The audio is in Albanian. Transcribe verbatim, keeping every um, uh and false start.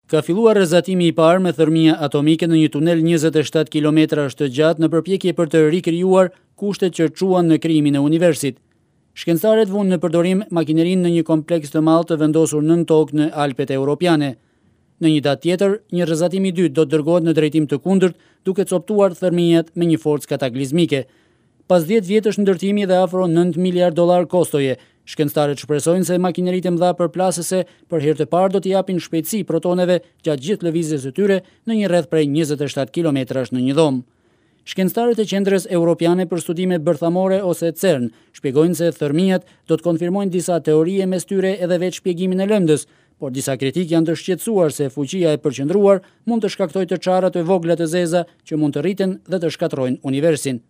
Ka filluar rrezatimi i parë me thërmia atomike në një tunel njëzet e shtatë kilometrash të gjatë në përpjekje për të rikrijuar kushtet që çuan në krijimin e universit. Shkencëtarët vunë në përdorim makinerinë në një kompleks të madh të vendosur nën tokë në Alpet Europiane. Në një datë tjetër, një rrezatim i dytë do të dërgohet në drejtim të kundërt, duke coptuar thërmijat me një forcë kataklizmike. Pas dhjetë vjetësh ndërtimi dhe afro nëntë miliard dollar kostoje, shkencëtarët shpresojnë se makineritë e mëdha përplasëse për herë të parë do t'i japin shpejtësi protoneve gjatë gjithë lëvizjes së tyre në një rreth prej njëzet e shtatë kilometrash në një dhomë. Shkencëtarët e Qendrës Europiane për Studime Bërthamore ose CERN shpjegojnë se thërmijat do të konfirmojnë disa teorie mes tyre edhe vetë shpjegimin e lëndës, por disa kritikë janë të shqetësuar se fuqia e përqendruar mund të shkaktojë të çara të vogla të zeza që mund të rriten dhe të shkatërrojnë universin.